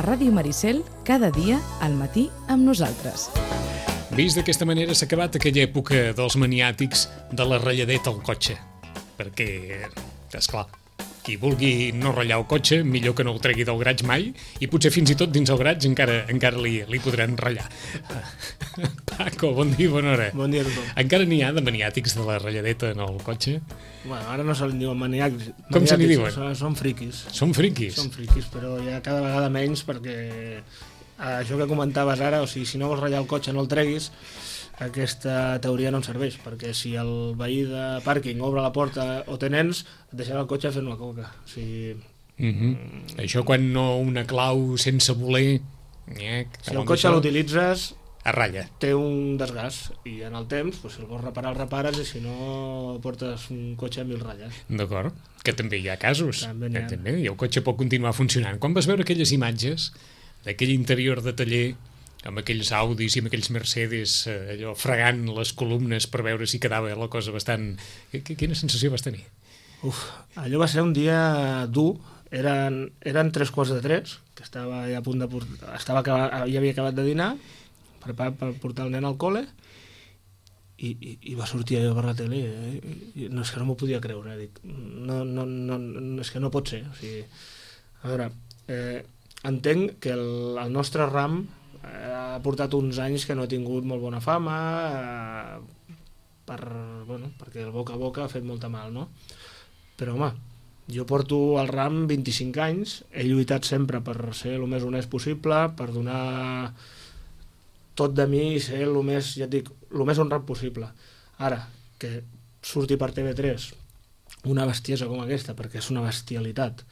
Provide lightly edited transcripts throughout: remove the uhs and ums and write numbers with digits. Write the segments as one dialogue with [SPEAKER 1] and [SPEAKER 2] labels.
[SPEAKER 1] Ràdio Maricel, cada dia al matí amb nosaltres.
[SPEAKER 2] Vist d'aquesta manera s'ha acabat aquella època dels maniàtics de la ratlladeta al cotxe. Perquè, esclar, qui vulgui no ratllar el cotxe, millor que no el tregui del graig mai, i potser fins i tot dins el graig encara li podran ratllar. Paco, bon dia, bona hora.
[SPEAKER 3] Bon dia a tothom.
[SPEAKER 2] Encara n'hi ha de maniàtics de la ratlladeta en el cotxe?
[SPEAKER 3] Bueno, ara no se li diuen maniàtics.
[SPEAKER 2] Com se li diuen?
[SPEAKER 3] Són friquis.
[SPEAKER 2] Són friquis?
[SPEAKER 3] Són friquis, però ja cada vegada menys perquè això que comentaves ara, o sigui, si no vols ratllar el cotxe no el treguis, aquesta teoria no em serveix, perquè si el veí de pàrquing obre la porta o té nens, et deixarà el cotxe fent una coca. O sigui...
[SPEAKER 2] Això quan no una clau sense voler...
[SPEAKER 3] Si el cotxe l'utilitzes...
[SPEAKER 2] A ratlla.
[SPEAKER 3] Té un desgast i en el temps, si el vols reparar, el repares, i si no portes un cotxe amb 1000 ratlles.
[SPEAKER 2] D'acord, que també hi ha casos.
[SPEAKER 3] També
[SPEAKER 2] i el cotxe pot continuar funcionant. Quan vas veure aquelles imatges d'aquell interior de taller amb aquells Audis i amb aquells Mercedes allò fregant les columnes per veure si quedava la cosa bastant... Quina sensació vas tenir?
[SPEAKER 3] Allò va ser un dia dur. Eren 3:45, que estava ja a punt de ja havia acabat de dinar, preparat per portar el nen al col·le, i va sortir allò per la tele, no, és que no m'ho podia creure, dic, no, és que no pot ser. O sigui, a veure, entenc que el nostre ram ha portat uns anys que no ha tingut molt bona fama, perquè el boca a boca ha fet molta mal, no? Però, home, jo porto al ram 25 anys, he lluitat sempre per ser el més honest possible, per donar tot de mi i ser el més, ja et dic, el més honrat possible. Ara, que surti per TV3 una bestiesa com aquesta, perquè és una bestialitat,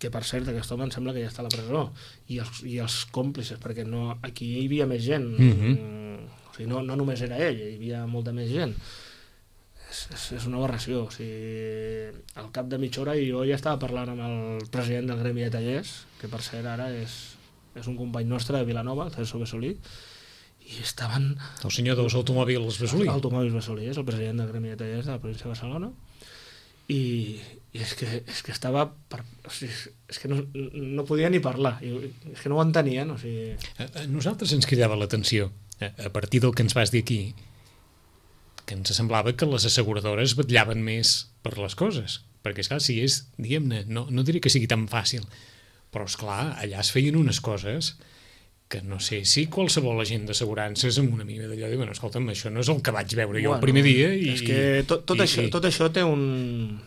[SPEAKER 3] que per cert aquest home em sembla que ja està a la presó, i els còmplices, perquè no, aquí hi havia més gent, o sigui, no només era ell, hi havia molta més gent. És una aberració. O sigui, al cap de mitja hora jo ja estava parlant amb el president del Gremi de Tallers, que per cert ara és un company nostre de Vilanova, el Celso Besolí, i estaven...
[SPEAKER 2] El senyor dels automòbils Besolí.
[SPEAKER 3] Automòbils Besolí, és el president del Gremi de Tallers de la província de Barcelona, i és que estava... O sigui, és que no podia ni parlar, és que no ho entenien. O sigui...
[SPEAKER 2] A nosaltres ens cridava l'atenció, a partir del que ens vas dir aquí, que ens semblava que les asseguradores vetllaven més per les coses, perquè esclar, si és, diguem-ne, no diré que sigui tan fàcil, però esclar, allà es feien unes coses que no sé si qualsevol agent d'assegurances amb una mica d'allò diu, bueno, escolta'm, això no és el que vaig veure jo el primer dia.
[SPEAKER 3] És que tot això té un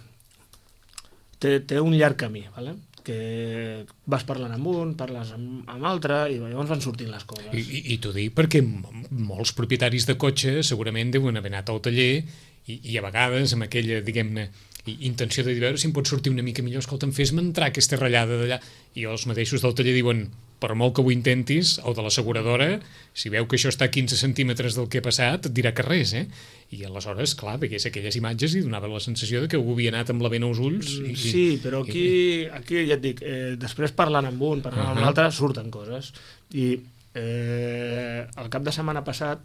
[SPEAKER 3] llarg camí, ¿vale? Que vas parlant amb un, parles amb altre, i llavors van sortint les coses.
[SPEAKER 2] I t'ho dic perquè molts propietaris de cotxe segurament deuen haver anat al taller i a vegades amb aquella, diguem-ne, intenció de dir, veure si em pot sortir una mica millor, escolta'm, fes-me entrar aquesta ratllada d'allà, i els mateixos del taller diuen, per molt que ho intentis, o de l'asseguradora, si veu que això està a 15 centímetres del que ha passat, et dirà que res, I aleshores, clar, veies aquelles imatges i donava la sensació de que algú havia anat amb la vena als ulls.
[SPEAKER 3] Sí, però aquí ja et dic, després parlant amb un, parlant amb l'altre, surten coses. I el cap de setmana passat,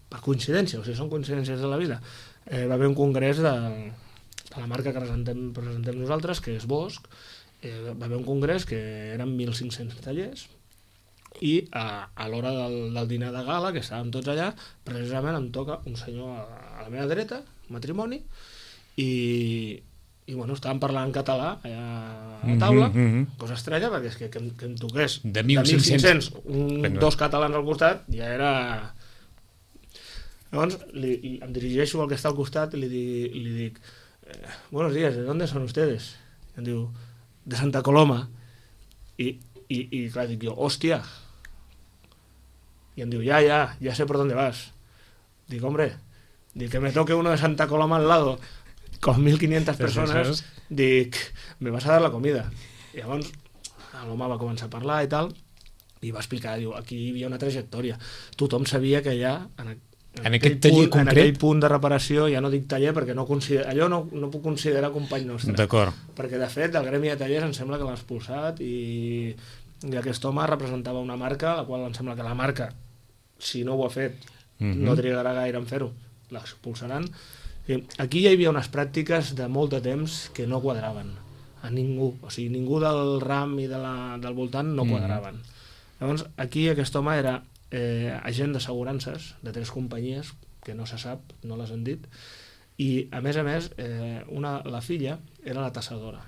[SPEAKER 3] per coincidència, o sigui, són coincidències de la vida, va haver un congrés de la marca que presentem nosaltres, que és Bosch. Va haver un congrés que eren 1.500 tallers, i a l'hora del dinar de gala, que estàvem tots allà, precisament em toca un senyor a la meva dreta, matrimoni, i bueno, estàvem parlant en català allà a la taula, cosa estranya, perquè és que em toqués
[SPEAKER 2] de 1.500
[SPEAKER 3] dos catalans al costat, ja era... Llavors em dirigeixo al que està al costat i li dic buenos días, ¿de dónde son ustedes? I em diu, de Santa Coloma. I clar, dic jo, hòstia. I em diu, ya sé por dónde vas. Dic, hombre, dic que me toque uno de Santa Coloma al lado con 1.500 persones, dic, me vas a dar la comida. I llavors l'home va començar a parlar i tal, i va explicar, diu, aquí hi havia una trajectòria. Tothom sabia que allà, en aquell punt de reparació, ja no dic taller perquè allò no puc considerar company nostre.
[SPEAKER 2] D'acord.
[SPEAKER 3] Perquè de fet el Gremi de Tallers em sembla que l'ha expulsat, i aquest home representava una marca, la qual em sembla que la marca, si no ho ha fet, no trigarà gaire en fer-ho, l'expulsaran. Aquí hi havia unes pràctiques de molt de temps que no quadraven. a ningú, o sigui, ningú del ram i del voltant no quadraven. Llavors, aquí aquest home era agent d'assegurances de 3 companyies, que no se sap, no les han dit, i a més, la filla era la tassadora.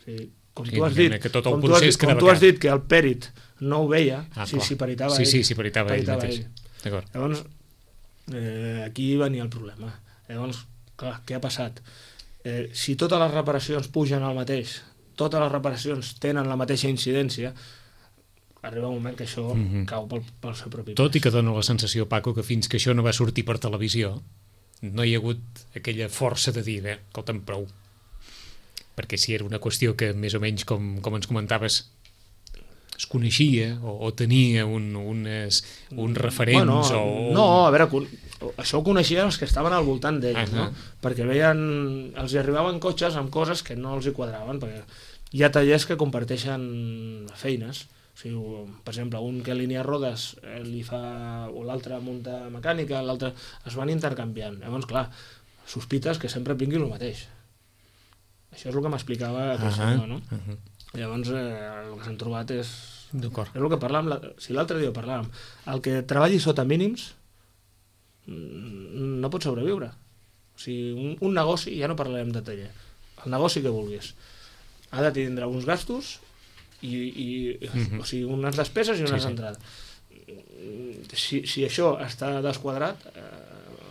[SPEAKER 3] O sigui, com tu has dit que el pèrit no ho veia, si peritava ell.
[SPEAKER 2] Sí, peritava ell mateix.
[SPEAKER 3] Llavors, aquí venia el problema. Llavors, clar, què ha passat? Si totes les reparacions pugen al mateix, totes les reparacions tenen la mateixa incidència, arriba un moment que això cau pel seu propi pes.
[SPEAKER 2] Tot i que dona la sensació, Paco, que fins que això no va sortir per televisió no hi ha hagut aquella força de dir, escolta'm, prou. Perquè si era una qüestió que més o menys, com ens comentaves, es coneixia o tenia uns referents
[SPEAKER 3] No, a veure, això ho coneixien els que estaven al voltant d'ells, no? Perquè veien, els hi arribaven cotxes amb coses que no els hi quadraven, perquè hi ha tallers que comparteixen feines. O sigui, per exemple, un que alinea rodes li fa, o l'altre munta mecànica, l'altre es van intercanviant. Llavors, clar, sospites que sempre vingui el mateix. Això és el que m'explicava aquest senyor, no? Llavors, el que s'han trobat és el que parlàvem, si l'altre dia parlàvem, el que treballi sota mínims no pot sobreviure. O sigui, un negoci, ja no parlarem de taller, el negoci que vulguis, ha de tindre uns gastos o sigui, unes despeses i unes entrades. Si això està desquadrat,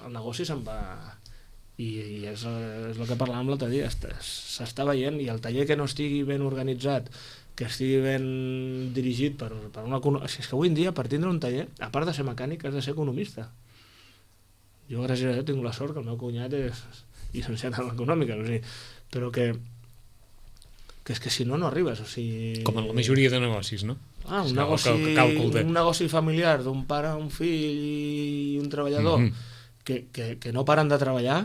[SPEAKER 3] el negoci se'n va, i és el que parlàvem l'altre dia, s'està veient, i el taller que no estigui ben organitzat, que estigui ben dirigit per una... És que avui en dia, per tindre un taller, a part de ser mecànic, has de ser economista. Jo, gràcies a Déu, tinc la sort que el meu cunyat és llicenciat en econòmica, o sigui, però que és que si no, no arribes, o sigui...
[SPEAKER 2] Com en la majoria de negocis, no?
[SPEAKER 3] Un negoci familiar d'un pare, un fill i un treballador que no paren de treballar,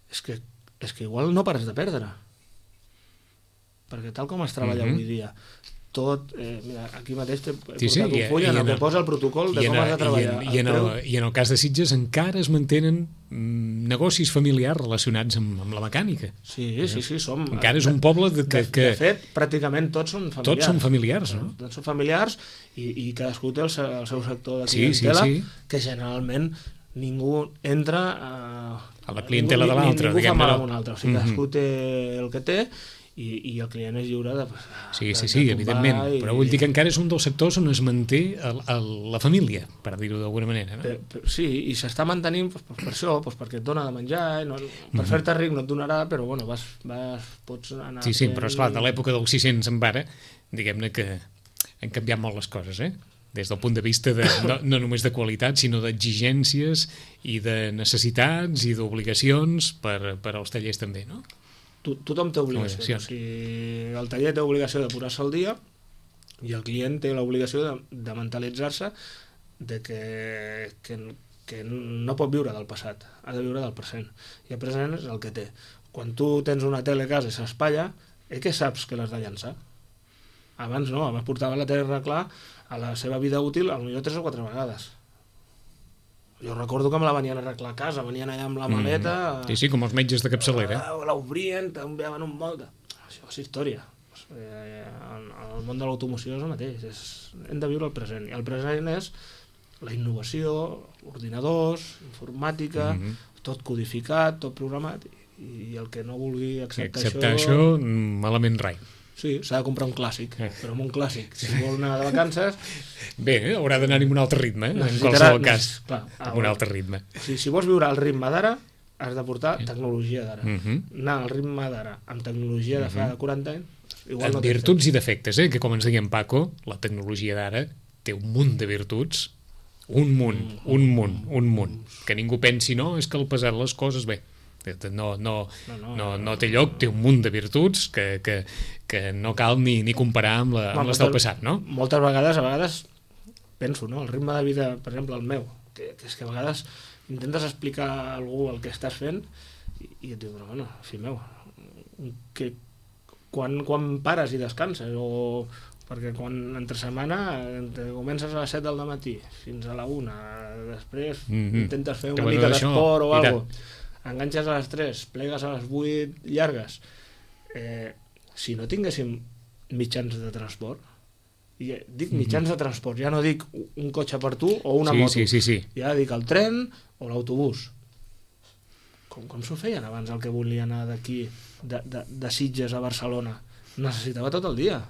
[SPEAKER 3] és que igual no pares de perdre. Perquè tal com es treballa avui dia, tot... mira, aquí mateix t'he portat un full en el que posa el protocol de com has de treballar.
[SPEAKER 2] I en el cas de Sitges encara es mantenen negocis familiars relacionats amb la mecànica.
[SPEAKER 3] Sí, som...
[SPEAKER 2] Encara és un poble que...
[SPEAKER 3] De fet, pràcticament tots són familiars.
[SPEAKER 2] Tots són familiars, no?
[SPEAKER 3] Tots són familiars i cadascú té el seu sector de clientela, que generalment ningú entra
[SPEAKER 2] a la clientela de l'altre.
[SPEAKER 3] Ningú fa mal a un altre. O sigui, cadascú té el que té i el client és lliure de...
[SPEAKER 2] Sí, evidentment, però vull dir que encara és un dels sectors on es manté la família, per dir-ho d'alguna manera, no?
[SPEAKER 3] Sí, i s'està mantenint per això, perquè et dona de menjar, per fer-te ric no et donarà, però bueno, pots anar...
[SPEAKER 2] Sí, però esclar, de l'època dels 600 en vara, diguem-ne que han canviat molt les coses, des del punt de vista no només de qualitat, sinó d'exigències i de necessitats i d'obligacions per als tallers també, no?
[SPEAKER 3] Tothom té obligació. O sigui, el taller té obligació de posar-se al dia i el client té l'obligació de mentalitzar-se de que no pot viure del passat, ha de viure del present. I el present és el que té. Quan tu tens una tele a casa i s'espatlla, que saps que l'has de llançar. Abans no, abans portava la tele a arreglar a la seva vida útil potser 3 o 4 vegades. Jo recordo que me la venien a arreglar a casa, venien allà amb la maleta...
[SPEAKER 2] Sí, com els metges de capçalera.
[SPEAKER 3] L'obrien, t'enviaven un molde. Això és història. El món de l'automoció és el mateix. Hem de viure el present. I el present és la innovació, ordinadors, informàtica, tot codificat, tot programat, i el que no vulgui acceptar
[SPEAKER 2] això, malament rai.
[SPEAKER 3] Sí, s'ha de comprar un clàssic, però amb un clàssic. Si vol anar de vacances...
[SPEAKER 2] Bé, haurà d'anar-hi amb un altre ritme, en qualsevol cas. Amb un altre ritme.
[SPEAKER 3] Si vols viure al ritme d'ara, has de portar tecnologia d'ara. Anar al ritme d'ara amb tecnologia de fa 40 anys...
[SPEAKER 2] En virtuts i defectes, que com ens deia en Paco, la tecnologia d'ara té un munt de virtuts, un munt, que ningú pensi, no, és que el pesar les coses, bé, no té lloc, té un munt de virtuts que no cal ni comparar amb les del passat, no?
[SPEAKER 3] Moltes vegades penso, no? El ritme de vida, per exemple, el meu, que és que a vegades intentes explicar a algú el que estàs fent i et diu, però bueno, fill meu, quan pares i descanses? Perquè quan entre setmana comences a les 7 del matí fins a la 1, després intentes fer una mica d'esport o alguna cosa, enganxes a les 3, plegues a les 8 llargues, si no tinguéssim mitjans de transport, i dic mitjans de transport, ja no dic un cotxe per tu o una moto,
[SPEAKER 2] Sí.
[SPEAKER 3] ja dic el tren o l'autobús. Com s'ho feien abans el que volia anar d'aquí, de Sitges a Barcelona? Necessitava tot el dia.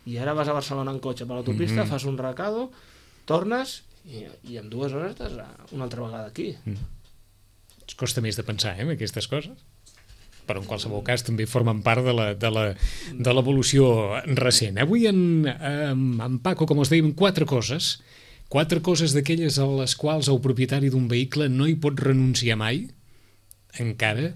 [SPEAKER 3] I ara vas a Barcelona en cotxe per l'autopista, fas un recado, tornes i en 2 hores estàs una altra vegada aquí.
[SPEAKER 2] Es costa més de pensar, aquestes coses. Però en qualsevol cas també formen part de l'evolució recent. Avui en Paco, com us dèiem, 4 coses d'aquelles a les quals el propietari d'un vehicle no hi pot renunciar mai, encara,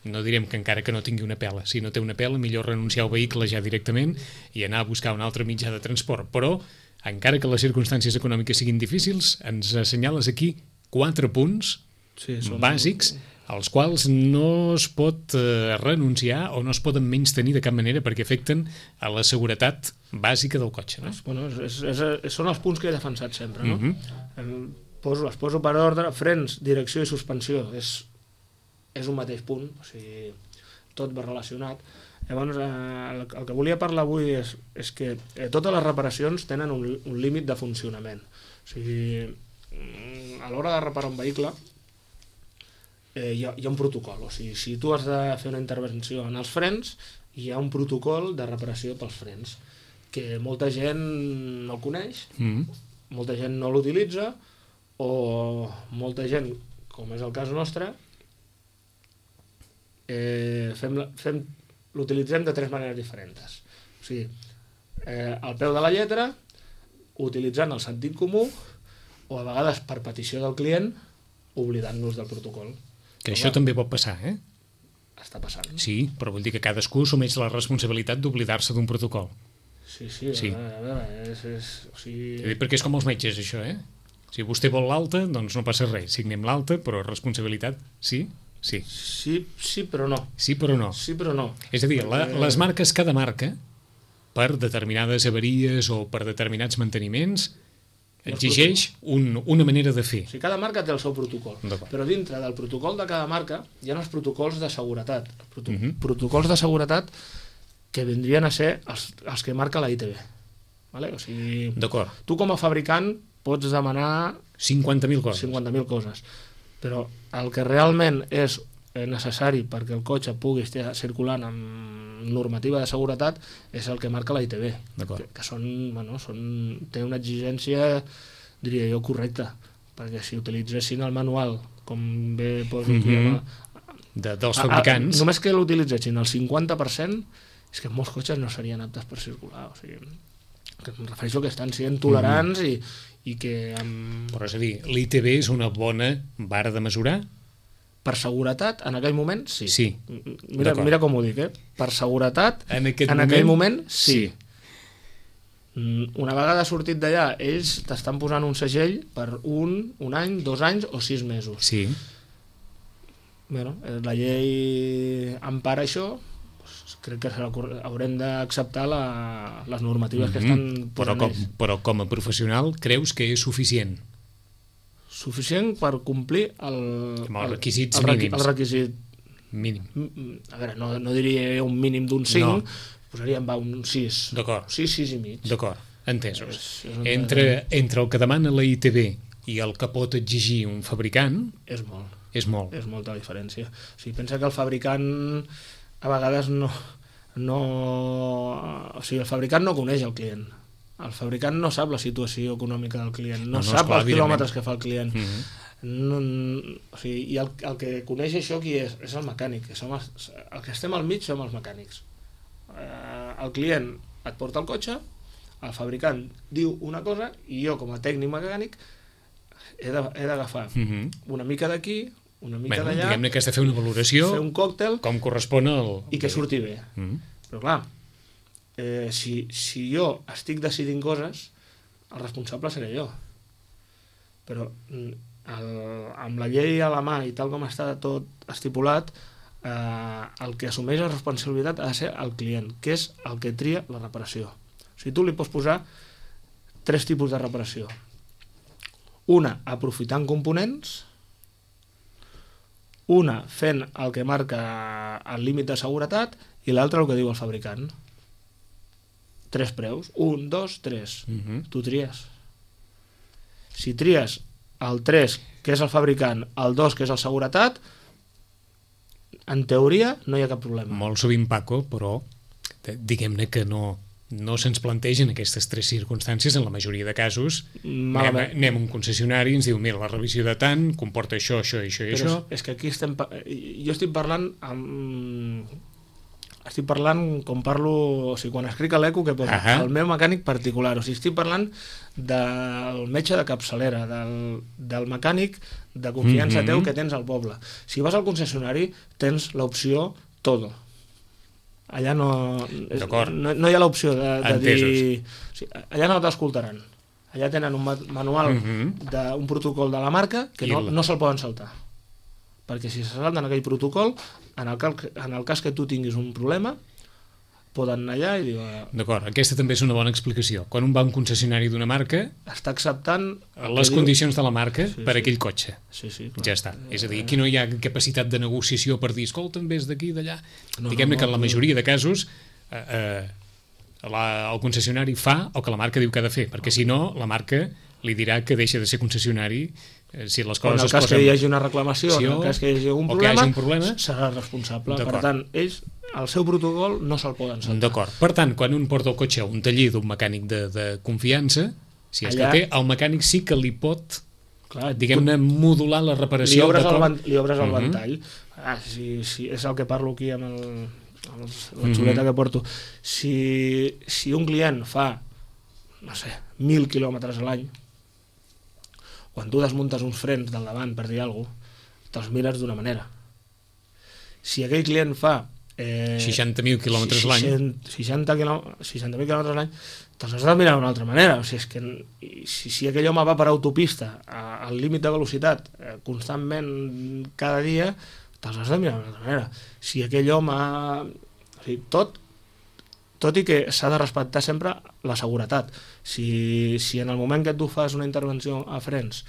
[SPEAKER 2] no direm que encara que no tingui una pela. Si no té una pela, millor renunciar al vehicle ja directament i anar a buscar un altre mitjà de transport. Però, encara que les circumstàncies econòmiques siguin difícils, ens assenyales aquí 4 punts bàsics als quals no es pot renunciar o no es poden menystenir de cap manera perquè afecten a la seguretat bàsica del cotxe. No?
[SPEAKER 3] Bueno, són els punts que he defensat sempre. No? Les poso per ordre: frens, direcció i suspensió. És un mateix punt, o sigui, tot va relacionat. Llavors, el que volia parlar avui és que totes les reparacions tenen un límit de funcionament. O sigui, a l'hora de reparar un vehicle hi ha un protocol. O sigui, si tu has de fer una intervenció en els frens, hi ha un protocol de reparació pels frens, que molta gent no el coneix, molta gent no l'utilitza, o molta gent, com és el cas nostre, l'utilitzem de 3 maneres diferents. O sigui, al peu de la lletra, utilitzant el sentit comú, o a vegades per petició del client, oblidant-nos del protocol.
[SPEAKER 2] Que això també pot passar,
[SPEAKER 3] Està passant.
[SPEAKER 2] Sí, però vol dir que cadascú assumeix la responsabilitat d'oblidar-se d'un protocol.
[SPEAKER 3] Sí. A veure, o sigui...
[SPEAKER 2] Perquè és com els metges, això, Si vostè vol l'alta, doncs no passa res. Signem l'alta, però responsabilitat, sí? Sí.
[SPEAKER 3] Sí, però no.
[SPEAKER 2] Sí, però no.
[SPEAKER 3] Sí, però no.
[SPEAKER 2] És a dir, les marques, cada marca, per determinades avaries o per determinats manteniments, exigeix una manera de fer.
[SPEAKER 3] O sigui, cada marca té el seu protocol, però dintre del protocol de cada marca hi ha els protocols de seguretat. Protocols de seguretat que vindrien a ser els que marca la ITV. Vale? O sigui, tu com a fabricant pots demanar
[SPEAKER 2] 50.000 coses.
[SPEAKER 3] 50.000 coses. Però el que realment és necessari perquè el cotxe pugui estar circulant amb normativa de seguretat és el que marca la ITV, que té una exigència, diria jo, correcta, perquè si utilitzessin el manual com bé poso aquí
[SPEAKER 2] dels fabricants,
[SPEAKER 3] només que l'utilitzessin el 50%, és que molts cotxes no serien aptes per circular. O sigui, que em refereixo que estan sent tolerants i que...
[SPEAKER 2] Però és a dir, l'ITV és una bona vara de mesurar?
[SPEAKER 3] Per seguretat, en aquell moment, sí.
[SPEAKER 2] Sí.
[SPEAKER 3] Mira com ho dic, Per seguretat, en
[SPEAKER 2] aquell
[SPEAKER 3] moment, sí. Una vegada sortit d'allà, ells t'estan posant un segell per un any, 2 anys o 6 mesos.
[SPEAKER 2] Sí.
[SPEAKER 3] Bueno, la llei empara això, crec que haurem d'acceptar les normatives que estan posant ells.
[SPEAKER 2] Però com a professional creus que és suficient?
[SPEAKER 3] Suficient per complir els
[SPEAKER 2] requisits mínims.
[SPEAKER 3] El requisit
[SPEAKER 2] mínim.
[SPEAKER 3] A veure, no diria un mínim d'un 5, posaríem un 6.
[SPEAKER 2] D'acord.
[SPEAKER 3] 6 i mig.
[SPEAKER 2] D'acord, entesos. Entre el que demana la ITV i el que pot exigir un fabricant...
[SPEAKER 3] És molt.
[SPEAKER 2] És molt.
[SPEAKER 3] És molta diferència. O sigui, pensa que el fabricant a vegades no... O sigui, el fabricant no coneix el client. El fabricant no sap la situació econòmica del client, no sap els quilòmetres que fa el client. O sigui, i el que coneix això qui és? És el mecànic. El que estem al mig som els mecànics. El client et porta el cotxe, el fabricant diu una cosa i jo com a tècnic mecànic he d'agafar una mica d'aquí, una mica d'allà,
[SPEAKER 2] diguem-ne que has de fer una valoració,
[SPEAKER 3] fer un còctel
[SPEAKER 2] com correspon
[SPEAKER 3] i que surti bé. Però clar, si jo estic decidint coses, el responsable seré jo. Però amb la llei a la mà i tal com està tot estipulat, el que assumeix la responsabilitat ha de ser el client, que és el que tria la reparació. O sigui, tu li pots posar 3 tipus de reparació. Una, aprofitant components, una, fent el que marca el límit de seguretat, i l'altre el que diu el fabricant. 3 preus, 1, 2, 3. Tu tries. Si tries el 3, que és el fabricant, el 2, que és el seguretat, en teoria no hi ha cap problema.
[SPEAKER 2] Molt sovint, Paco, però diguem-ne que no se'ns plantegen aquestes 3 circumstàncies en la majoria de casos. Anem a un concessionari i ens diu, mira, la revisió de tant comporta això, això i això i això.
[SPEAKER 3] És que aquí jo estic parlant com parlo, o sigui, quan escric a l'ECO que posa el meu mecànic particular, o sigui, estic parlant del metge de capçalera, del mecànic de confiança teu que tens al poble. Si vas al concessionari tens l'opció todo. Allà no hi ha l'opció de dir... O sigui, allà no t'escoltaran. Allà tenen un manual d'un protocol de la marca que no se'l poden saltar. Perquè si se salten aquell protocol, en el cas que tu tinguis un problema, poden anar allà i dir...
[SPEAKER 2] D'acord, aquesta també és una bona explicació. Quan un va a un concessionari d'una marca...
[SPEAKER 3] Està acceptant...
[SPEAKER 2] les condicions de la marca per aquell cotxe.
[SPEAKER 3] Sí, clar.
[SPEAKER 2] Ja està. És a dir, aquí no hi ha capacitat de negociació per dir, escolta'm, vés d'aquí, d'allà. Diguem-ne que en la majoria de casos el concessionari fa el que la marca diu que ha de fer, perquè si no, la marca li dirà que deixa de ser concessionari si les coses
[SPEAKER 3] en el cas que hi hagi una reclamació, en el cas que hi hagi un problema, serà responsable. Per tant, ells, el seu protocol no se'l poden saltar.
[SPEAKER 2] D'acord. Per tant, quan un porta el cotxe a un taller d'un mecànic de confiança, si és que té, el mecànic sí que li pot, diguem-ne, modular la reparació.
[SPEAKER 3] Li obres el ventall. Si és el que parlo aquí amb la xuleta que porto. Si un client fa, no sé, 1.000 quilòmetres a l'any, quan tu desmuntes uns frens del davant per dir alguna cosa, te'ls mires d'una manera. Si aquell client fa
[SPEAKER 2] 60.000 quilòmetres l'any,
[SPEAKER 3] 60.000 quilòmetres l'any, te'ls has de mirar d'una altra manera. O sigui, és que si aquell home va per autopista al límit de velocitat constantment cada dia, te'ls has de mirar d'una altra manera. Si aquell home... O sigui, tot i que s'ha de respectar sempre la seguretat. Si en el moment que tu fas una intervenció a frens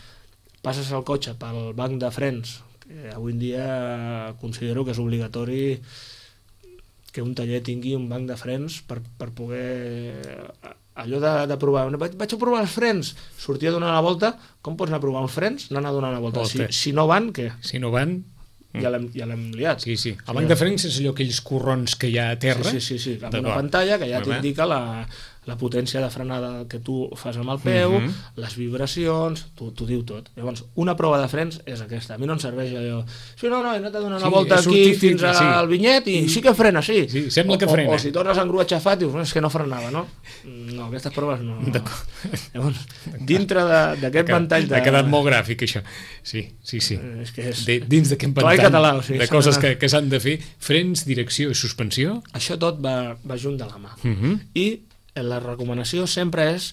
[SPEAKER 3] passes el cotxe pel banc de frens, que avui en dia considero que és obligatori que un taller tingui un banc de frens per poder... Allò de provar, vaig a provar els frens, sortir a donar la volta, com pots anar a provar uns frens? Anar a donar la volta. Si no van, què?
[SPEAKER 2] Si no van...
[SPEAKER 3] Ja l'hem liat.
[SPEAKER 2] Sí. El banc de frens és allò, aquells corrons que hi ha a terra.
[SPEAKER 3] Sí. Amb una pantalla que ja t'indica la potència de frenada que tu fas amb el peu, les vibracions, t'ho diu tot. Llavors, una prova de frens és aquesta. A mi no em serveix allò... Sí, no, he anat a donar una volta aquí fins al vinyet i sí que frena, sí.
[SPEAKER 2] Sí, sembla que frena.
[SPEAKER 3] O si tornes a engruar xafat, dius, és que no frenava, no? No, aquestes proves no. Llavors, dintre d'aquest ventall de...
[SPEAKER 2] Ha quedat molt gràfic, això. Sí.
[SPEAKER 3] És que és...
[SPEAKER 2] Dins d'aquest ventall
[SPEAKER 3] català, o sigui,
[SPEAKER 2] de coses que s'han de fer, frens, direcció i suspensió...
[SPEAKER 3] Això tot va junt de la mà. I la recomanació sempre és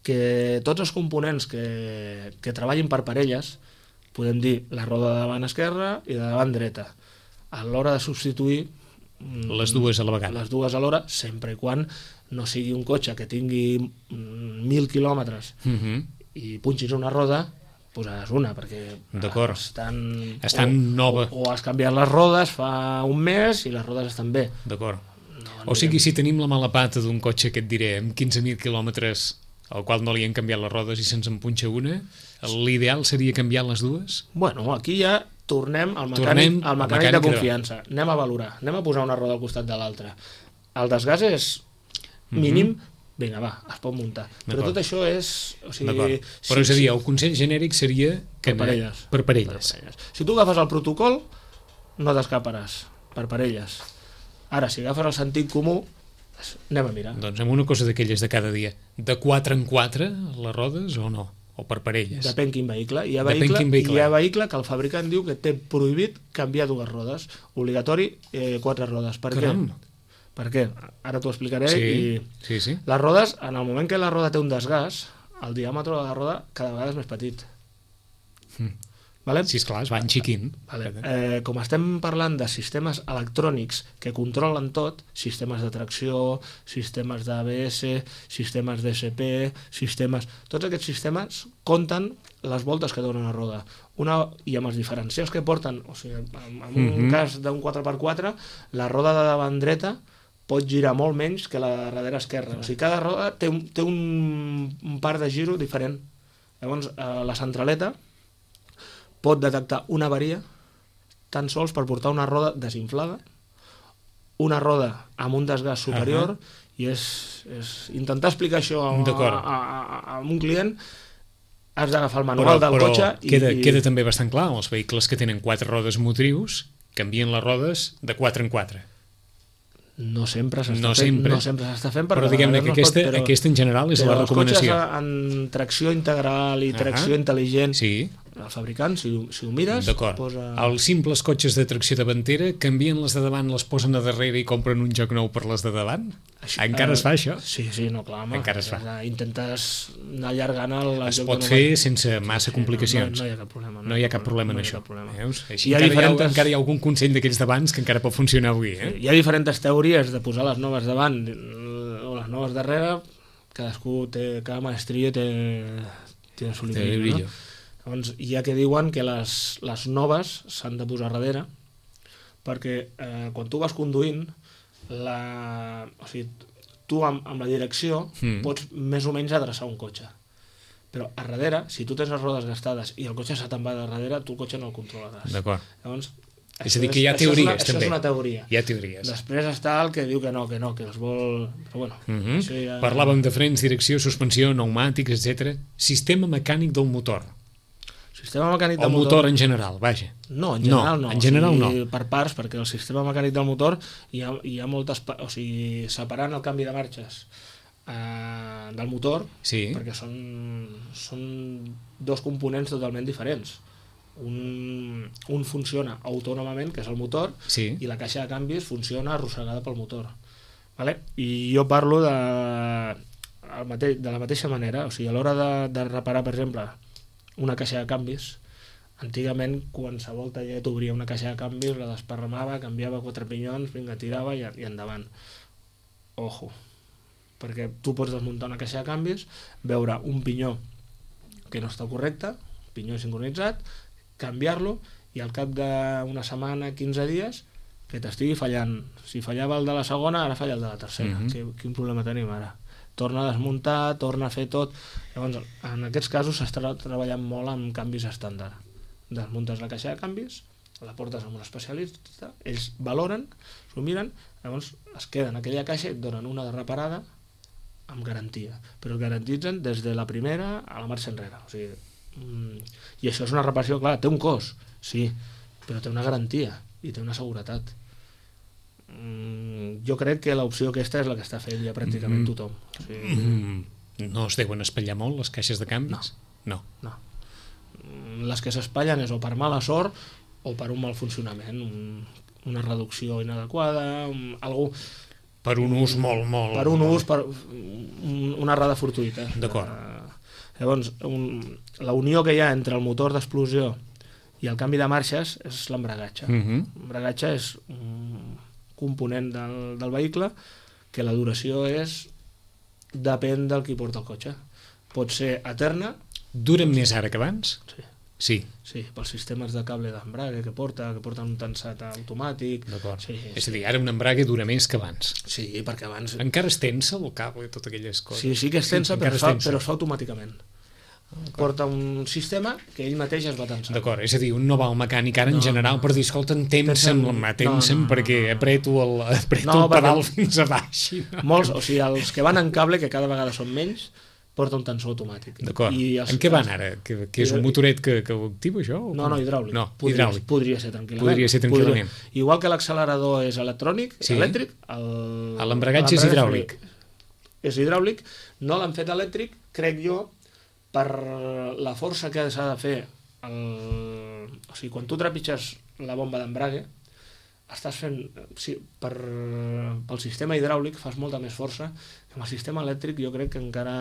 [SPEAKER 3] que tots els components que treballin per parelles, podem dir la roda de davant esquerra i de davant dreta, a l'hora de substituir
[SPEAKER 2] les dues a la vegada.
[SPEAKER 3] Les dues alhora, sempre i quan no sigui un cotxe que tingui 1.000 quilòmetres i punxis una roda, posaràs una, perquè
[SPEAKER 2] estan nova.
[SPEAKER 3] O has canviat les rodes fa un mes i les rodes estan bé.
[SPEAKER 2] D'acord. O sigui, si tenim la mala pata d'un cotxe, que et diré, amb 15.000 quilòmetres, al qual no li han canviat les rodes i se'ns en punxa una, l'ideal seria canviar les dues?
[SPEAKER 3] Bueno, aquí ja tornem al mecànic de confiança. Anem a valorar, anem a posar una roda al costat de l'altra. El desgast és mínim, vinga, va, es pot muntar. Però tot això és...
[SPEAKER 2] Però és a dir, el consell genèric seria que per parelles.
[SPEAKER 3] Si tu agafes el protocol, no t'escaparàs, per parelles. Ara, si agafes el sentit comú, anem a mirar.
[SPEAKER 2] Doncs amb una cosa d'aquelles de cada dia, de 4 en 4 les rodes o no? O per parelles?
[SPEAKER 3] Depèn quin vehicle. Hi ha vehicle que el fabricant diu que té prohibit canviar dues rodes. Obligatori 4 rodes. Per què? Per què? Ara t'ho explicaré.
[SPEAKER 2] Sí.
[SPEAKER 3] Les rodes, en el moment que la roda té un desgast, el diàmetre de la roda cada vegada és més petit. Vale?
[SPEAKER 2] Sí, esclar, es va enxiquint.
[SPEAKER 3] Vale. Com estem parlant de sistemes electrònics que controlen tot, sistemes de tracció, sistemes d'ABS, sistemes d'ESP, tots aquests sistemes compten les voltes que dona una roda. I amb els diferencials que porten, o sigui, en un cas d'un 4x4, la roda de davant dreta pot girar molt menys que la de darrere esquerra. O sigui, cada roda té un par de giro diferent. Llavors, la centraleta pot detectar una avaria tan sols per portar una roda desinflada, una roda amb un desgast superior, i és intentar explicar això a un client. Has d'agafar el manual del cotxe
[SPEAKER 2] queda també bastant clar, els vehicles que tenen 4 rodes motrius canvien les rodes de 4 en 4.
[SPEAKER 3] No sempre s'està fent,
[SPEAKER 2] però diguem-ne que aquesta en general és la recomanació.
[SPEAKER 3] Els cotxes en tracció integral i tracció intel·ligent, el fabricant, si ho mires,
[SPEAKER 2] posa... Els simples cotxes de tracció davantera canvien les de davant, les posen a darrere i compren un joc nou per les de davant? Encara es fa això?
[SPEAKER 3] Sí, no, clar, home.
[SPEAKER 2] Encara es fa.
[SPEAKER 3] Intentes anar allargant el joc.
[SPEAKER 2] Es pot fer sense massa complicacions.
[SPEAKER 3] No hi ha cap problema.
[SPEAKER 2] No hi ha cap problema en això. Així encara hi ha algun consell d'aquells d'abans que encara pot funcionar avui.
[SPEAKER 3] Hi ha diferents teories de posar les noves davant o les noves darrere. Cada maestria té el seu brillo. Llavors, hi ha que diuen que les noves s'han de posar darrere perquè quan tu vas conduint, tu amb la direcció pots més o menys adreçar un cotxe. Però a darrere, si tu tens les rodes gastades i el cotxe se te'n va de darrere, tu el cotxe no el controlaràs.
[SPEAKER 2] D'acord.
[SPEAKER 3] Llavors,
[SPEAKER 2] és a dir, que hi ha teories,
[SPEAKER 3] això
[SPEAKER 2] també.
[SPEAKER 3] Això és una teoria.
[SPEAKER 2] Hi ha teories.
[SPEAKER 3] Després està el que diu que els vol... Però bueno, ja...
[SPEAKER 2] Parlàvem de frens, direcció, suspensió, pneumàtics, etc. Sistema mecànic del motor.
[SPEAKER 3] Sistema mecànic del
[SPEAKER 2] motor en general, vaja.
[SPEAKER 3] No, en general no.
[SPEAKER 2] En general no.
[SPEAKER 3] Per parts, perquè el sistema mecànic del motor hi ha moltes... O sigui, separant el canvi de marxes del motor, perquè són dos components totalment diferents. Un funciona autònomament, que és el motor, i la caixa de canvis funciona arrossegada pel motor. Vale? I jo parlo de la mateixa manera, o sigui, a l'hora de reparar, per exemple, una caixa de canvis, antigament qualsevol taller t'obria una caixa de canvis, la desparramava, canviava 4 pinyons, vinga, tirava i endavant. Ojo, perquè tu pots desmuntar una caixa de canvis, veure un pinyó que no està correcte, pinyó sincronitzat, canviar-lo i al cap d'una setmana, 15 dies, que t'estigui fallant. Si fallava el de la segona, ara falla el de la tercera. Quin problema tenim ara? Torna a desmuntar, torna a fer tot. Llavors, en aquests casos s'està treballant molt amb canvis estàndard. Desmuntes la caixa de canvis, la portes a un especialista, ells valoren, s'ho miren, llavors es queden aquella caixa i et donen una de reparada amb garantia. Però et garantitzen des de la primera a la marxa enrere. O sigui, i això és una reparació, clar, té un cost, sí, però té una garantia i té una seguretat. Jo crec que l'opció aquesta és la que està fent ja pràcticament tothom. O sigui,
[SPEAKER 2] no es deuen espatllar molt les caixes de canvis? No.
[SPEAKER 3] Les que s'espatllen és o per mala sort o per un mal funcionament, una reducció inadequada, algú...
[SPEAKER 2] Per un ús molt...
[SPEAKER 3] Per un ús, per una errada fortuïta.
[SPEAKER 2] D'acord.
[SPEAKER 3] Llavors, la unió que hi ha entre el motor d'explosió i el canvi de marxes és l'embragatge. L'embragatge és un component del vehicle que la duració depèn del qui porta el cotxe. Pot ser eterna.
[SPEAKER 2] Duren més ara que abans? Sí,
[SPEAKER 3] pels sistemes de cable d'embrague que porten un tensat automàtic.
[SPEAKER 2] D'acord. És a dir, ara un embrague dura més que abans.
[SPEAKER 3] Sí, perquè abans...
[SPEAKER 2] Encara es tensa el cable i totes aquelles coses?
[SPEAKER 3] Sí que es tensa, però es fa automàticament. Porta un sistema que ell mateix es va tensar.
[SPEAKER 2] D'acord, és a dir, un no va al mecànic ara en general per dir, escolta, tensa'm perquè apreto el pedal fins a baix.
[SPEAKER 3] Molts, o sigui, els que van en cable, que cada vegada són menys, porta un tensor automàtic.
[SPEAKER 2] D'acord. En què van ara? Que és un motoret que ho activa, això?
[SPEAKER 3] No, hidràulic.
[SPEAKER 2] No, hidràulic.
[SPEAKER 3] Podria ser tranquil·lament. Igual que l'accelerador és elèctric,
[SPEAKER 2] l'embragatge és hidràulic.
[SPEAKER 3] És hidràulic, no l'han fet elèctric, crec jo, per la força que s'ha de fer. O sigui, quan tu trepitges la bomba d'embrague, estàs fent... Sí, pel sistema hidràulic fas molta més força, que amb el sistema elèctric jo crec que encara...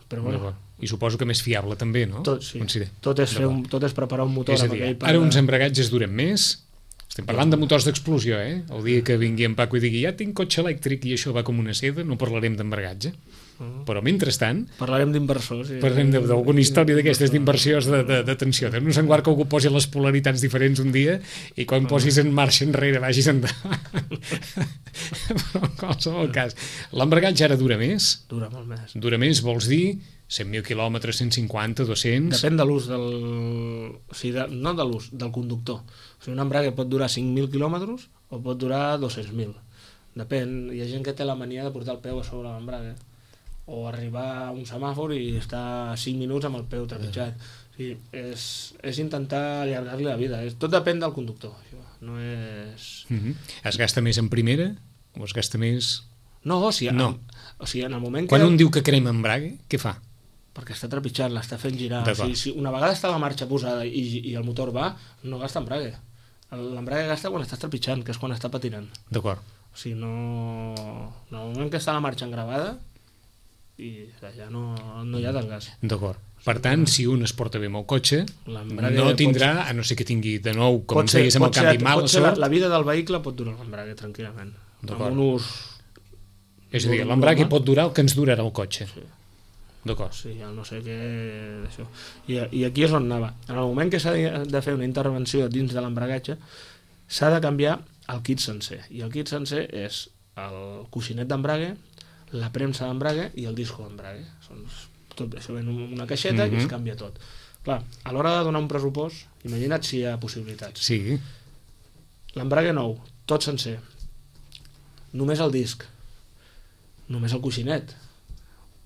[SPEAKER 3] Però bueno,
[SPEAKER 2] i suposo que més fiable també, no?
[SPEAKER 3] Tot, sí. Tot és preparar un motor.
[SPEAKER 2] És a dir, ara uns embragatges duren més. Estem parlant de motors d'explosió, eh? El dia que vingui en Paco i digui ja tinc cotxe elèctric i això va com una seda, no parlarem d'embragatge. Però mentrestant
[SPEAKER 3] parlarem d'inversors,
[SPEAKER 2] parlarem d'alguna història d'aquestes d'inversions d'atenció, de no semblar que algú posi les polaritats diferents un dia i quan posis en marxa enrere vagis endavant. Però en qualsevol cas, l'embragatge ara dura més?
[SPEAKER 3] Dura molt més.
[SPEAKER 2] Dura més vols dir 100.000 quilòmetres, 150, 200...
[SPEAKER 3] Depèn de l'ús del... O sigui, no de l'ús, del conductor. O sigui, un embrague pot durar 5.000 quilòmetres o pot durar 200.000. Depèn. Hi ha gent que té la mania de portar el peu a sobre l'embrague o arribar a un semàfor i estar 5 minuts amb el peu trepitjat. O sigui, és intentar allargar-li la vida. Tot depèn del conductor. No és...
[SPEAKER 2] Es gasta més en primera o es gasta més...
[SPEAKER 3] No, o sigui, en el moment
[SPEAKER 2] Quan un diu que crema embrague, què fa?
[SPEAKER 3] Perquè està trepitjant, l'està fent girar. O sigui, si una vegada està la marxa posada i el motor va, no gasta embrague. L'embrague gasta quan estàs trepitjant, que és quan està patinant.
[SPEAKER 2] D'acord.
[SPEAKER 3] O sigui, no... En el moment que està la marxa engravada, i ja no hi ha desgast.
[SPEAKER 2] D'acord. Per tant, si un es porta bé amb el cotxe, no tindrà, a no ser que tingui de nou, com ens deies amb el canvi mala sort...
[SPEAKER 3] La vida del vehicle pot durar l'embrague tranquil·lament. Amb un ús...
[SPEAKER 2] És a dir, l'embrague pot durar el que ens durarà el cotxe.
[SPEAKER 3] Sí.
[SPEAKER 2] D'acord.
[SPEAKER 3] Sí, no sé què... Això. I aquí és on anava. En el moment que s'ha de fer una intervenció dins de l'embragatge, s'ha de canviar el kit sencer. I el kit sencer és el coixinet d'embrague, la premsa d'embrague i el disco d'embrague. Tot això ven en una caixeta i es canvia tot. Clar, a l'hora de donar un pressupost, imagina't si hi ha possibilitats.
[SPEAKER 2] Sí.
[SPEAKER 3] L'embrague nou, tot sencer. Només el disc. Només el coixinet.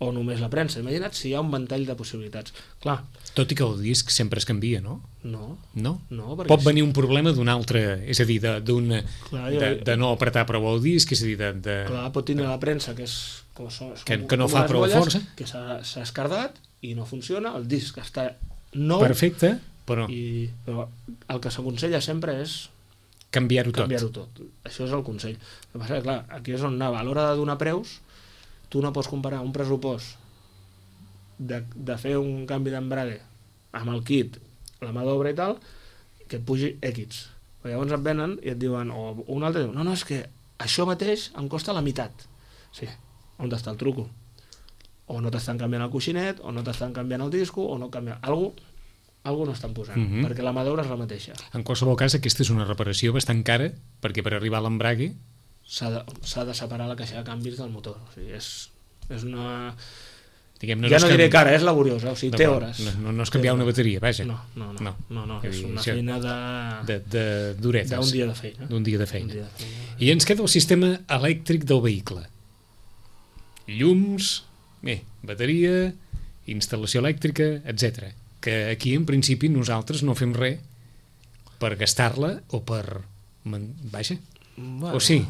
[SPEAKER 3] O només la premsa. Imagina't si hi ha un ventall de possibilitats. Clar.
[SPEAKER 2] Tot i que el disc sempre es canvia, no?
[SPEAKER 3] No.
[SPEAKER 2] Pot venir un problema d'un altre, és a dir, de no apretar prou el disc, és a dir,
[SPEAKER 3] Clar, pot tenir la premsa, que és...
[SPEAKER 2] Que no fa prou força.
[SPEAKER 3] Que s'ha escardat i no funciona, el disc està nou.
[SPEAKER 2] Perfecte, però
[SPEAKER 3] el que s'aconsella sempre és
[SPEAKER 2] canviar-ho
[SPEAKER 3] tot. Això és el consell. El que passa és que, clar, aquí és on anava. A l'hora de donar preus, tu no pots comparar un pressupost de fer un canvi d'embrague amb el kit, la mà d'obra i tal, que et pugi X. Però llavors et venen i et diuen, o un altre diu, no, és que això mateix em costa la meitat. Sí, on està el truco? O no t'estan canviant el coixinet, o no t'estan canviant el disco, o no canviant... Algú no estan posant, perquè la mà d'obra és la mateixa.
[SPEAKER 2] En qualsevol cas, aquesta és una reparació bastant cara, perquè per arribar a l'embrague
[SPEAKER 3] s'ha de separar la caixa de canvis del motor. O sigui, és una...
[SPEAKER 2] Diguem,
[SPEAKER 3] ja no diré cara, és laboriosa, o sigui, té hores.
[SPEAKER 2] No és canviar una bateria, vaja.
[SPEAKER 3] No, és una feina
[SPEAKER 2] d'horetes.
[SPEAKER 3] D'un dia de feina.
[SPEAKER 2] D'un dia de feina. I ens queda el sistema elèctric del vehicle. Llums, bateria, instal·lació elèctrica, etc. Que aquí, en principi, nosaltres no fem res per gastar-la o per... Vaja.
[SPEAKER 3] Bueno,
[SPEAKER 2] o sí?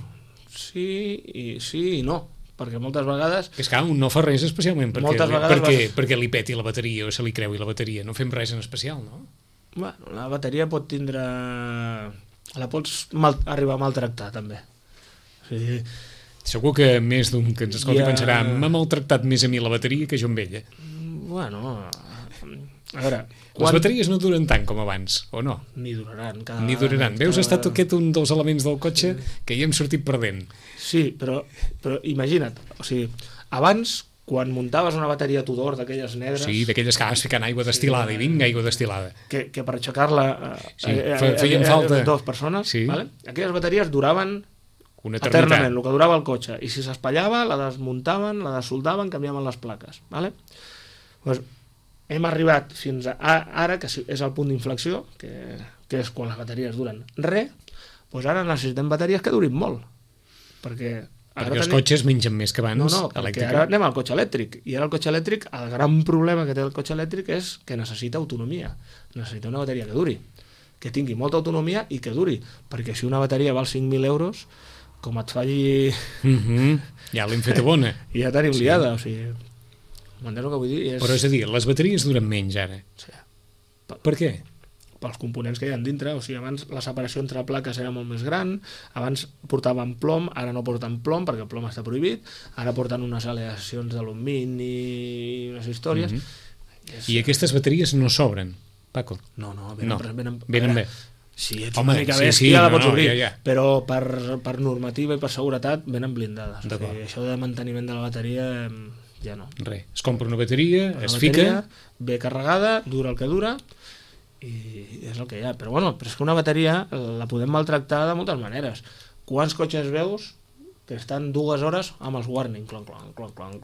[SPEAKER 3] Sí i no. Perquè moltes vegades...
[SPEAKER 2] És que un no fa res especialment perquè li peti la bateria o se li creui la bateria. No fem res en especial, no?
[SPEAKER 3] Bueno, la bateria pot tindre... La pots arribar a maltractar, també. O sigui...
[SPEAKER 2] Segur que més d'un que ens escolti pensarà m'ha maltractat més a mi la bateria que jo amb ella.
[SPEAKER 3] Bueno... A veure...
[SPEAKER 2] Les bateries no duren tant com abans, o no?
[SPEAKER 3] Ni duraran.
[SPEAKER 2] Veus, ha estat aquest un dels elements del cotxe que hi hem sortit perdent.
[SPEAKER 3] Sí, però imagina't, o sigui, abans, quan muntaves una bateria Tudor d'aquelles negres...
[SPEAKER 2] Sí, d'aquelles que vas ficant aigua destil·lada, i vinga, aigua destil·lada.
[SPEAKER 3] Que per aixecar-la
[SPEAKER 2] feien falta
[SPEAKER 3] 2 persones, vale? Aquelles bateries duraven eternament, el que durava el cotxe, i si s'espatllava, la desmuntaven, la desoldaven, canviaven les plaques, vale? Doncs hem arribat fins a ara, que és el punt d'inflexió, que és quan les bateries duren res, doncs ara necessitem bateries que durin molt. Perquè
[SPEAKER 2] els cotxes mengen més que abans.
[SPEAKER 3] No, perquè ara anem al cotxe elèctric. I ara el cotxe elèctric, el gran problema que té el cotxe elèctric és que necessita autonomia. Necessita una bateria que duri, que tingui molta autonomia i que duri. Perquè si una bateria val 5.000 euros, com et falli...
[SPEAKER 2] Ja l'hem feta bona.
[SPEAKER 3] I ja tenim liada, o sigui... M'entens el que vull dir?
[SPEAKER 2] Però és a dir, les bateries duren menys ara.
[SPEAKER 3] Sí.
[SPEAKER 2] Per què?
[SPEAKER 3] pels components que hi ha dintre. O sigui, abans la separació entre plaques era molt més gran, abans portaven plom, ara no porten plom perquè el plom està prohibit, ara porten unes aleacions d'alumini i unes històries.
[SPEAKER 2] I aquestes bateries no s'obren, Paco?
[SPEAKER 3] No,
[SPEAKER 2] venen bé.
[SPEAKER 3] Si ets una mica bèstia, la pots obrir, però per normativa i per seguretat venen blindades. O sigui, això de manteniment de la bateria ja no.
[SPEAKER 2] Res, es compra una bateria, es fica...
[SPEAKER 3] Ve carregada, dura el que dura, i és el que hi ha. Però bueno, però és que una bateria la podem maltractar de moltes maneres. Quants cotxes veus que estan 2 hores amb els warning, clon, clon, clon, clon.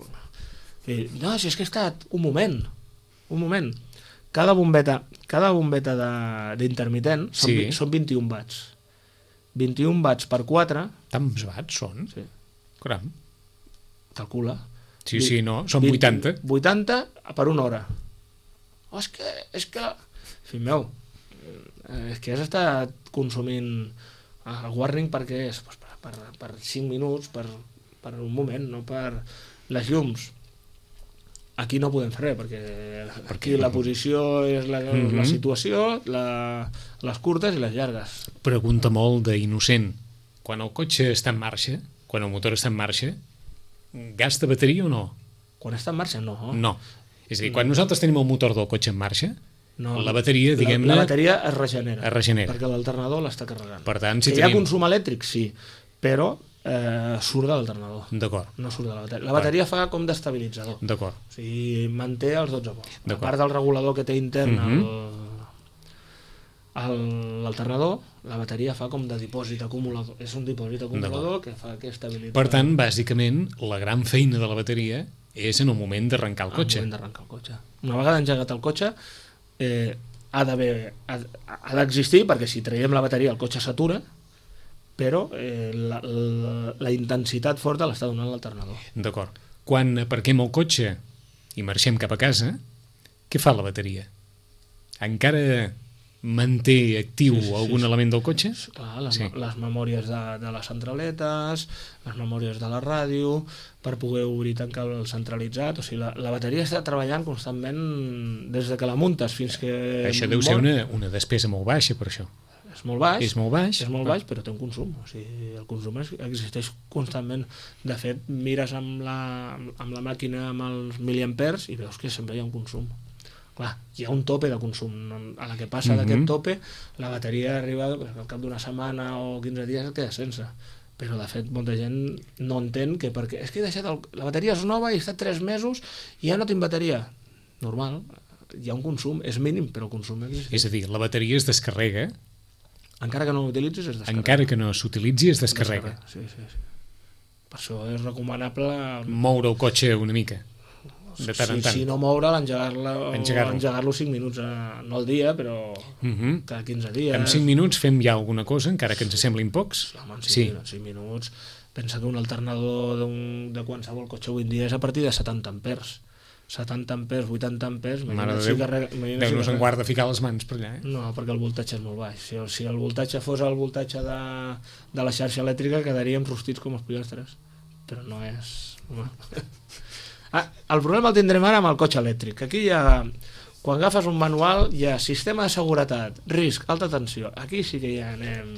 [SPEAKER 3] I, no, si és que he estat un moment. Cada bombeta d'intermitent són 21 watts. 21 watts per 4...
[SPEAKER 2] Tants watts són?
[SPEAKER 3] Sí.
[SPEAKER 2] Caram.
[SPEAKER 3] Calcula.
[SPEAKER 2] Sí, no, són 80.
[SPEAKER 3] 80 per 1 hora. Oh, és que... Fill meu, és que has estat consumint el warning per què és? Pues per 5 minuts, per un moment, no per les llums. Aquí no podem fer res, perquè aquí la posició és la situació, les curtes i les llargues.
[SPEAKER 2] Pregunta molt d'innocent. Quan el cotxe està en marxa, quan el motor està en marxa, gasta bateria o no?
[SPEAKER 3] Quan està en marxa, no.
[SPEAKER 2] No. És a dir, quan nosaltres tenim el motor del cotxe en marxa,
[SPEAKER 3] no,
[SPEAKER 2] la bateria, diguem-ne...
[SPEAKER 3] La bateria es regenera.
[SPEAKER 2] Perquè
[SPEAKER 3] l'alternador l'està carregant.
[SPEAKER 2] Per tant, si
[SPEAKER 3] hi ha consum elèctric, sí, però surt de l'alternador.
[SPEAKER 2] D'acord.
[SPEAKER 3] No surt de la bateria. La bateria fa com d'estabilitzador.
[SPEAKER 2] D'acord.
[SPEAKER 3] O sigui, manté els 12 volts. A part del regulador que té intern l'alternador, la bateria fa com de dipòsit acumulador. És un dipòsit acumulador que fa que estabilitza.
[SPEAKER 2] Per tant, bàsicament, la gran feina de la bateria és en el moment d'arrencar el cotxe.
[SPEAKER 3] Una vegada engegat el cotxe, ha d'existir, perquè si traiem la bateria el cotxe s'atura, però la intensitat forta l'està donant l'alternador.
[SPEAKER 2] D'acord. Quan aparquem el cotxe i marxem cap a casa, què fa la bateria? Encara manté actiu algun element del cotxe?
[SPEAKER 3] Clar, les memòries de les centraletes, les memòries de la ràdio, per poder obrir i tancar el centralitzat. O sigui, la bateria està treballant constantment des de que la muntes fins que...
[SPEAKER 2] Això deu ser una despesa molt baixa, per això.
[SPEAKER 3] És molt baix.
[SPEAKER 2] És molt baix,
[SPEAKER 3] però té un consum. O sigui, el consum existeix constantment. De fet, mires amb la màquina amb els miliampers i veus que sempre hi ha un consum. Clar, hi ha un tope de consum. A la que passa d'aquest tope, la bateria arriba al cap d'una setmana o 15 dies queda sense. Però, de fet, molta gent no entén que perquè és que he deixat la bateria és nova i he estat 3 mesos i ja no tinc bateria. Normal, hi ha un consum, és mínim, però el consum existeix.
[SPEAKER 2] És a dir, la bateria es descarrega.
[SPEAKER 3] Encara que no l'utilitzis, es descarrega.
[SPEAKER 2] Encara que no s'utilitzi, es descarrega.
[SPEAKER 3] Sí. Per això és recomanable...
[SPEAKER 2] Moure el cotxe una mica. De tant en tant.
[SPEAKER 3] Si no moure'l, engegar-lo 5 minuts, no al dia, però cada 15 dies.
[SPEAKER 2] En 5 minuts fem ja alguna cosa, encara que ens semblin pocs?
[SPEAKER 3] Home, en 5 minuts. Pensa que un alternador de qualsevol cotxe avui en dia és a partir de 70 amperes. 70 amperes, 80 amperes...
[SPEAKER 2] Mare de Déu, Déu-nos en guarda ficar les mans per allà.
[SPEAKER 3] No, perquè el voltatge és molt baix. Si el voltatge fos el voltatge de la xarxa elèctrica, quedaríem rostits com els pollastres. Però no és... el problema el tindrem ara amb el cotxe elèctric. Aquí hi ha, quan agafes un manual, hi ha sistema de seguretat, risc, alta tensió. Aquí sí que ja anem...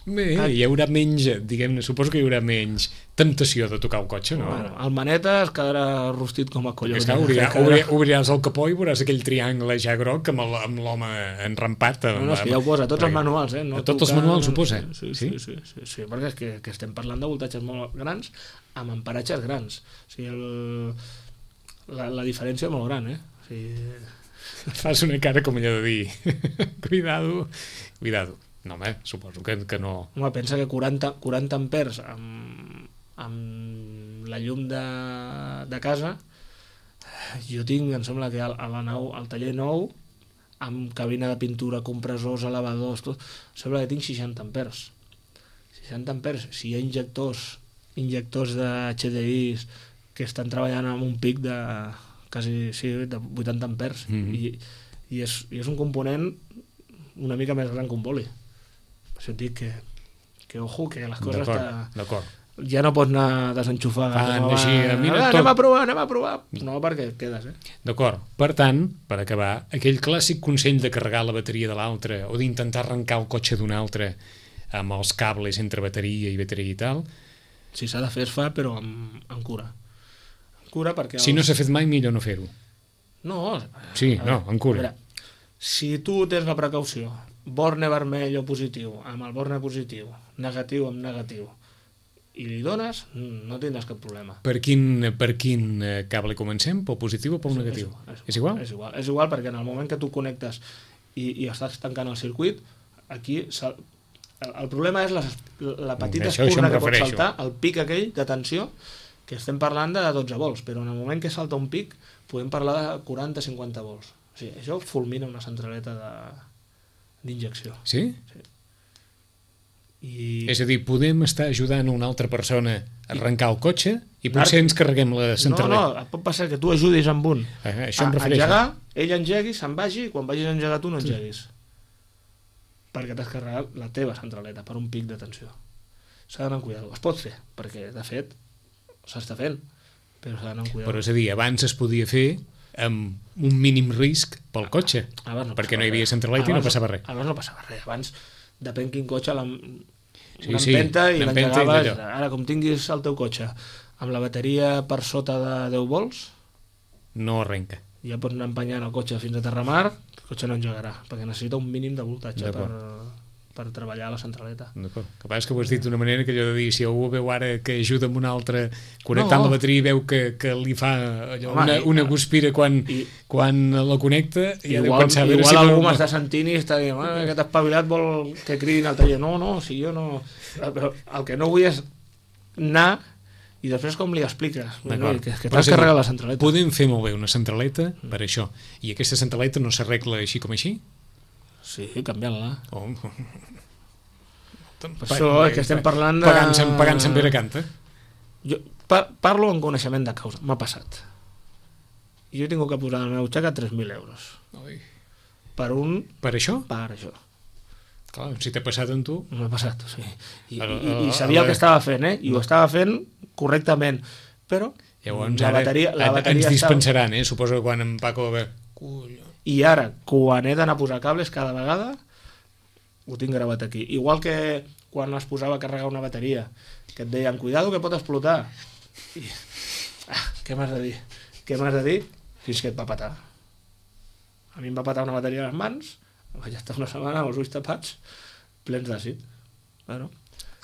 [SPEAKER 2] Bé, hi haurà menys, diguem-ne, suposo que hi haurà menys temptació de tocar el cotxe, no?
[SPEAKER 3] Bueno, el maneta es quedarà rostit com a colló.
[SPEAKER 2] Obriràs el capó i veuràs aquell triangle ja groc amb l'home enrampat.
[SPEAKER 3] No, és que ja ho posa, tots els manuals,
[SPEAKER 2] No tots els manuals ho posa?
[SPEAKER 3] Sí, perquè és que estem parlant de voltatges molt grans amb emparatges grans. O sigui, la diferència és molt gran, O sigui...
[SPEAKER 2] Fas una cara com allò de dir cuidado. No, home, suposo que no...
[SPEAKER 3] Home, pensa que 40 amperes amb la llum de casa, jo tinc, em sembla que al taller nou, amb cabina de pintura, compressors, elevadors, tot, sembla que tinc 60 amperes. 60 amperes, si hi ha injectors de HDIs que estan treballant amb un pic de quasi de 80 amperes, i és un component una mica més gran que un boli. Per això et dic que ojo, que les coses ja no pots anar a desenxufar.
[SPEAKER 2] Així,
[SPEAKER 3] anem a provar. No, perquè et quedes,
[SPEAKER 2] D'acord. Per tant, per acabar, aquell clàssic consell de carregar la bateria de l'altre o d'intentar arrencar el cotxe d'un altre amb els cables entre bateria i tal...
[SPEAKER 3] Si s'ha de fer, es fa, però amb cura. Amb cura perquè...
[SPEAKER 2] Si no s'ha fet mai, millor no fer-ho.
[SPEAKER 3] No.
[SPEAKER 2] Sí, amb cura.
[SPEAKER 3] Veure, si tu tens la precaució, borne vermell o positiu, amb el borne positiu, negatiu amb negatiu, i li dones, no tindràs cap problema.
[SPEAKER 2] Per quin cable comencem? Pel positiu o pel negatiu? És igual?
[SPEAKER 3] És igual perquè en el moment que tu connectes i estàs tancant el circuit, aquí el problema és la petita espurna que pot saltar, el pic aquell de tensió, que estem parlant de 12 volts, però en el moment que salta un pic podem parlar de 40-50 volts. O sigui, això fulmina una centraleta d'injecció.
[SPEAKER 2] Sí? Sí. És a dir, podem estar ajudant una altra persona a arrencar el cotxe i potser ens carreguem la centraleta.
[SPEAKER 3] No, pot passar que tu ajudis amb un
[SPEAKER 2] això em refereixo.
[SPEAKER 3] A engegar, ell engegui, se'n vagi, i quan vagis a engegar tu no engeguis. Perquè t'has carregat la teva centraleta per un pic de tensió. S'ha d'anar amb cuidado. Es pot fer, perquè de fet s'està fent, però s'ha d'anar amb cuidado.
[SPEAKER 2] Però és a dir, abans es podia fer amb un mínim risc pel cotxe, perquè no hi havia centraleta i no passava res.
[SPEAKER 3] Abans no passava res. Abans, depèn quin cotxe, l'empenta i l'engegaves. Ara, com tinguis el teu cotxe amb la bateria per sota de 10 volts,
[SPEAKER 2] no arrenca.
[SPEAKER 3] Ja pots anar empenyant el cotxe fins a Terramar, el cotxe no engegarà, perquè necessita un mínim de voltatge per treballar la centraleta.
[SPEAKER 2] D'acord. El que passa és que ho has dit d'una manera que allò de dir, si algú veu ara que ajuda amb un altre connectant la bateria i veu que li fa una guspira quan la connecta, i ha de pensar...
[SPEAKER 3] Igual algú m'està sentint i està dient que t'has espavilat, vol que cridin al taller. No, si jo no... Però el que no vull és anar i després com li expliques que t'has carregat la centraleta.
[SPEAKER 2] Podem fer molt bé una centraleta per això, i aquesta centraleta no s'arregla així com així?
[SPEAKER 3] Sí, canviant-la. Això és que estem parlant de...
[SPEAKER 2] Pagant-se en Pere Canta.
[SPEAKER 3] Jo parlo en coneixement de causa. M'ha passat. Jo he tingut que posar a la meva butxaca 3.000 euros. Per
[SPEAKER 2] això?
[SPEAKER 3] Per això.
[SPEAKER 2] Clar, si t'ha passat amb tu...
[SPEAKER 3] M'ha passat, sí. I sabia el que estava fent, i ho estava fent correctament. Però
[SPEAKER 2] llavors, la bateria ens dispensaran, suposo que quan en Paco va...
[SPEAKER 3] I ara, quan he d'anar a posar cables cada vegada, ho tinc gravat aquí. Igual que quan es posava a carregar una bateria, que et deien, cuidado que pot explotar. I, què m'has de dir? Què m'has de dir? Fins que et va patar. A mi em va patar una bateria a les mans, vaig estar una setmana amb els ulls tapats, plens d'àcid. Bueno.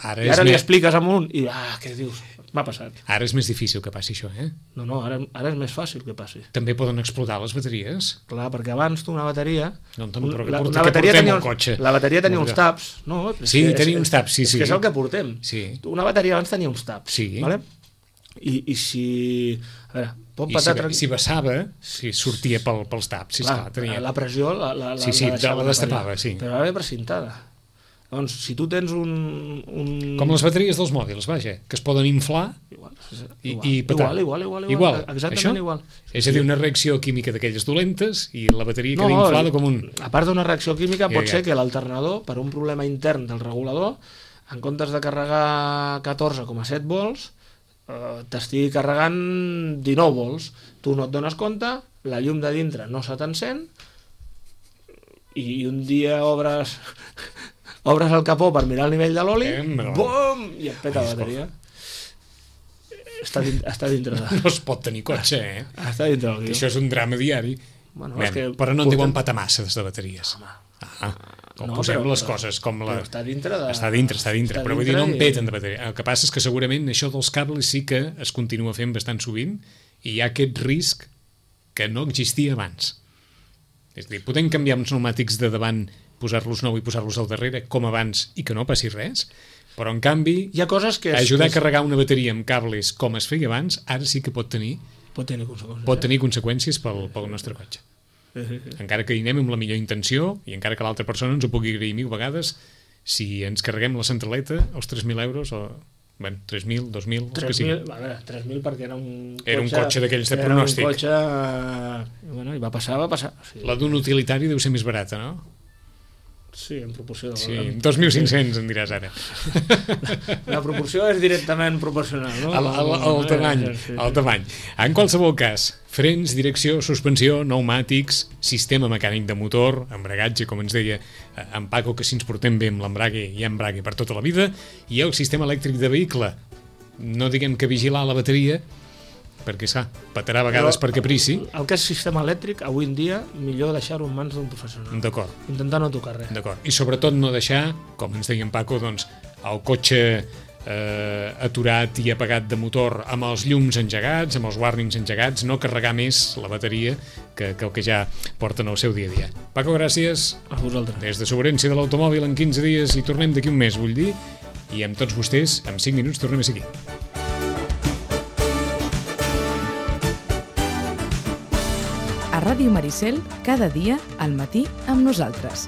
[SPEAKER 3] I ara li expliques amb un i què dius? M'ha passat.
[SPEAKER 2] Ara és més difícil que passi això,
[SPEAKER 3] No, ara és més fàcil que passi.
[SPEAKER 2] També poden explotar les bateries?
[SPEAKER 3] Clar, perquè abans tu una bateria...
[SPEAKER 2] La bateria
[SPEAKER 3] tenia uns taps.
[SPEAKER 2] Sí, tenia uns taps, sí.
[SPEAKER 3] És que és el que portem. Una bateria abans tenia uns taps.
[SPEAKER 2] Sí.
[SPEAKER 3] I si... A veure, pot patar...
[SPEAKER 2] Si vessava, sortia pels taps.
[SPEAKER 3] La pressió la
[SPEAKER 2] destapava, sí.
[SPEAKER 3] Però ara ve precintada. Doncs, si tu tens un...
[SPEAKER 2] Com les bateries dels mòbils, vaja, que es poden inflar i petar.
[SPEAKER 3] Igual. Exactament igual.
[SPEAKER 2] És a dir, una reacció química d'aquelles dolentes i la bateria queda inflada com un...
[SPEAKER 3] A part d'una reacció química, pot ser que l'alternador, per un problema intern del regulador, en comptes de carregar 14,7 volts, t'estigui carregant 19 volts. Tu no et dones compte, la llum de dintre no se t'encén, i un dia obres el capó per mirar el nivell de l'oli, bum, i et peta la bateria. Està dintre de...
[SPEAKER 2] No es pot tenir cotxe,
[SPEAKER 3] Està dintre del guió.
[SPEAKER 2] Això és un drama diari. Però no en diuen patamasses de bateries. Com posem les coses, com la...
[SPEAKER 3] Està dintre de...
[SPEAKER 2] Està dintre, però vull dir, no en peten de bateria. El que passa és que segurament això dels cables sí que es continua fent bastant sovint i hi ha aquest risc que no existia abans. És a dir, podem canviar uns pneumàtics de davant, posar-los nou i posar-los al darrere, com abans, i que no passi res, però en canvi,
[SPEAKER 3] hi ha coses que
[SPEAKER 2] ajudar a carregar una bateria amb cables com es feia abans, ara sí que pot tenir conseqüències pel nostre cotxe. Encara que hi anem amb la millor intenció, i encara que l'altra persona ens ho pugui agrair 1000 vegades, si ens carreguem la centraleta, els 3.000 euros, o... Bueno, 3.000, 2.000...
[SPEAKER 3] 3.000 perquè era un cotxe...
[SPEAKER 2] Era un cotxe d'aquells de pronòstic.
[SPEAKER 3] Era un cotxe... Bueno, i va passar.
[SPEAKER 2] Sí. La d'un utilitari deu ser més barata, no?
[SPEAKER 3] Sí, en proporció.
[SPEAKER 2] Sí, 2.500 en diràs ara.
[SPEAKER 3] La proporció és directament proporcional, no?
[SPEAKER 2] El tamany. En qualsevol cas, frens, direcció, suspensió, pneumàtics, sistema mecànic de motor, embragatge, com ens deia en Paco, que si ens portem bé amb l'embrague, hi ha embrague per tota la vida, i el sistema elèctric de vehicle. No diguem que vigilar la bateria, perquè, petarà a vegades per caprici.
[SPEAKER 3] El que és sistema elèctric, avui en dia, millor deixar-ho en mans d'un professional.
[SPEAKER 2] D'acord.
[SPEAKER 3] Intentar no tocar res.
[SPEAKER 2] D'acord. I sobretot no deixar, com ens deia en Paco, doncs, el cotxe aturat i apagat de motor amb els llums engegats, amb els warnings engegats, no carregar més la bateria que el que ja porten al seu dia a dia. Paco, gràcies.
[SPEAKER 3] A vosaltres.
[SPEAKER 2] Des de Sobrerència de l'Automòbil en 15 dies i tornem d'aquí un mes, vull dir, i amb tots vostès, en 5 minuts tornem a seguir.
[SPEAKER 1] A Ràdio Maricel, cada dia, al matí, amb nosaltres.